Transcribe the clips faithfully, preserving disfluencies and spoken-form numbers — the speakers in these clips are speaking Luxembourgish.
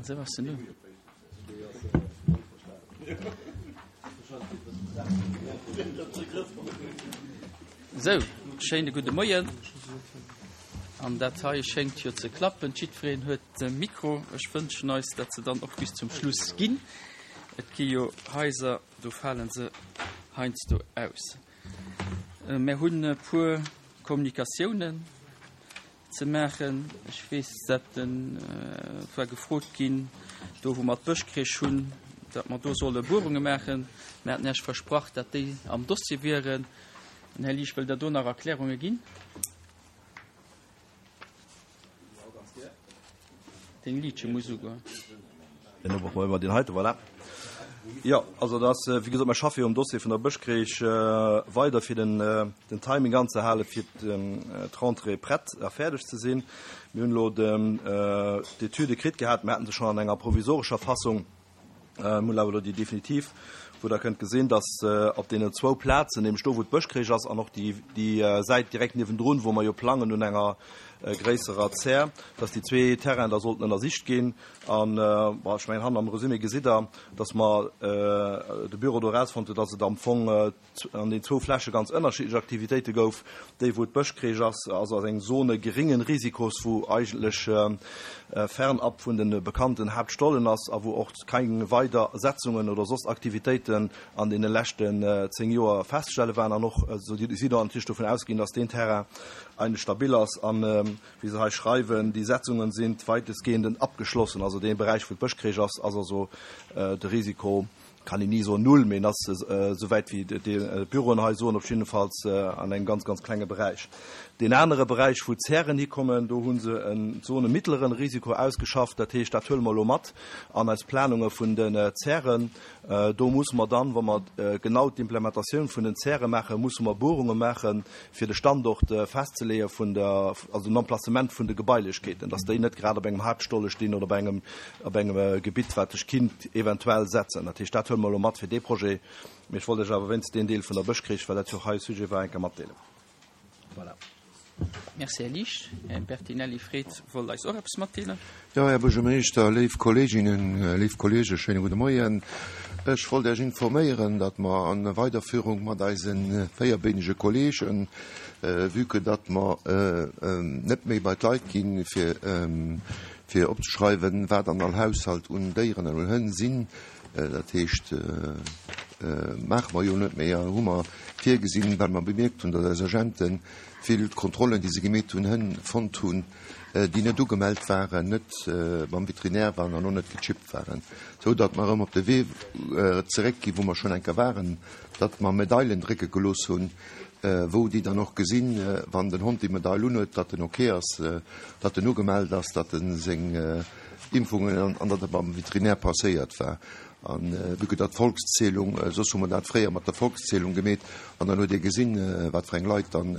Esou ass en do. Esou, schéine gudde Moien. An dat hei schéngt jo ze klappen. Jiddwereen huet de Mikro. Ech wënschen eis, datt se dann och bis zum Schluss ginn. Et gi jo Haiser, do fale se heiansdo aus. Mir hunn e puer Kommunikatiounen ze maachen. Ech weess, datt et war gefrot ginn, do wou mer d'Bëschcrèche hunn, datt mer do solle Buerunge maachen. Mir haten Iech versprach, datt déi am Dossier wieren. Den Här Liesch, wëllt Der do nach Erklärunge ginn? Deng Liitche muss ugoen. Dann hu mer deen heite, voilà. Jo, also dat ass, wéi gesot, mer schaffe jo um Dossier vun der Bëschcrèche weider, fir den, den Timing anzehalen, fir d'Rentrée prett a fäerdeg ze sinn. Mir hunn elo d'Etüde kritt gehat, mir haten se schonn an enger provisorescher Fassung. Mir hunn awer elo déi definitiv, wou Der kënnt gesinn, dass op deenen zwou Plazen, nämlech do, wou d'Bëschcrèche ass, an och déi, déi Säit direkt niewendrun, wou mer jo plangen un enger gréisserer Zär, dass déi zwee Terrainen da sollten ënnersicht ginn. An, bon, ech mengen, hannen am Resumé gesitt Der, dass mer de Büro do erausfonnt huet, dass et am Fong an den zwou Fläche ganz ënnerschiddlech Aktivitéite gouf. Déi, wou d'Bëschcrèche ass, ass ass eng Zone geringen Risikos, wou eigentlech fernab vun de bekannten Haaptstollen ass a wou och keng weider Setzungen oder soss Aktivitéiten an deene leschten zéng Joer festzestelle waren. An och si do natierlech dovun ausginn, dass deen Terrain eigentlech stabil ass an, wéi se hei schreiwen, die Setzungen sind weitestgehend abgeschlossen. Also dee Beräich, wou d'Bëschcrèche ass, ass also de Risiko, kann een ni soen null, mee en ass, esouwäit wéi d'Büroen hei soen, op jiddefalls an engem ganz, ganz klenge Beräich. Deen anere Beräich, wou d'Zären hikommen, do hu se en Zone mittleren Risiko ausgeschafft. Dat heescht, dat huele mer elo mat an eis Planunge vun den Zären. Do musse mer dann, wa mer genau d'Implementatioun vun den Zäre maachen, musse mer Buerunge maachen, fir de Standort festzeleeë vun der, also den Emplacement vun de Gebailechkeeten, dass déi net grad op engem Haaptstolle stinn oder op engem, op engem Gebitt, wat sech kinnt eventuell setzen. Dat heescht, dat huele mer elo mat fir dee Projet. Mee ech wollt Iech awer wéinst deen Deel vun der Bëschcrèche, well dat jo och hei e Sujet war, eng Kéier matdeelen. Voilà. Merci, Här Liesch. Här Bertinelli Fred wollt eis och eppes matdeelen. Jo, Här Buergermeeschter, léif Kolleeginnen, léif Kolleegen, schéine gudde Moien. Ech wollt Iech informéieren, datt mer an Weiderführung mat eise véierbeenege Kolleegen, vue que datt mer net méi bei d'Leit ginn, fir fir opzeschreiwen, wat an all Haushalt un Déieren an un Hënn sinn, dat heescht, maache mer jo net méi, hu mer virgesinn, well mer bemierkt hunn, datt eis Agente vill Kontrollen, déi se gemeet hunn, Hënn fonnt hunn, déi net ugemellt waren, net beim Veterinär waren an och net gechippt waren, sou datt mer erëm op de Wee zeréckginn, wou mer schonn eng Kéier waren, datt mer Medailen drécke gelooss hunn, wou déi dann och gesinn, wann den Hond déi Medail unhuet, datt en ok ass, datt en ugemellt ass, datt e seng Impfungen an datt e beim Veterinär passéiert war. An vue que datt d'Volkszählung, soss hu mer dat fréier mat der Volkszählung gemeet, an dann huet ee gesinn, wat fir eng Leit dann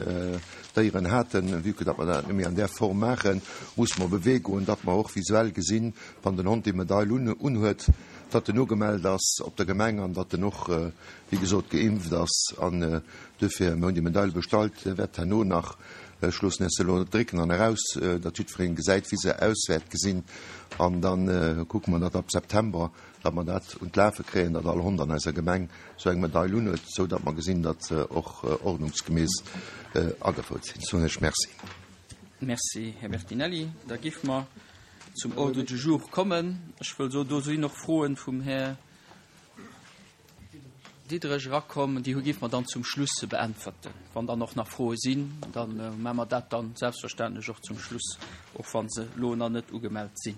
Déieren haten. Vue que datt mer dat net méi an där Form maachen, musse mer op e Wee goen, datt mer och visuell gesinn, wann den Hond déi Medail unhuet, datt en ugemellt ass op der Gemeng an datt en och, wéi gesot, geimpft ass. An duerfir, mir hunn déi Medail bestallt, wäert herno nach, ech loossen iech se elo net drécken an eraus, datt jiddweree gesäit, wéi se aus wäert gesinn. An da kucke mer, datt ab September, datt mer dat un d'Lafe kréien, datt all Hond an eiser Gemeng esou eng Medail unhuet, esou datt mer gesinn, datt se och ordnungsgemäss agefouert sinn. Soen ech Merci. Merci, Här Bertinelli. Da géife mer zum Ordre du jour kommen. Ech wëll soen, do sinn och Froen vum Här Diderich erakomm, déi géife mer dann zum Schluss beäntwerten. Wann dann och nach Froe sinn, da maache mer dat dann selbstverständlech och zum Schluss, och wa se elo nach net ugemellt sinn.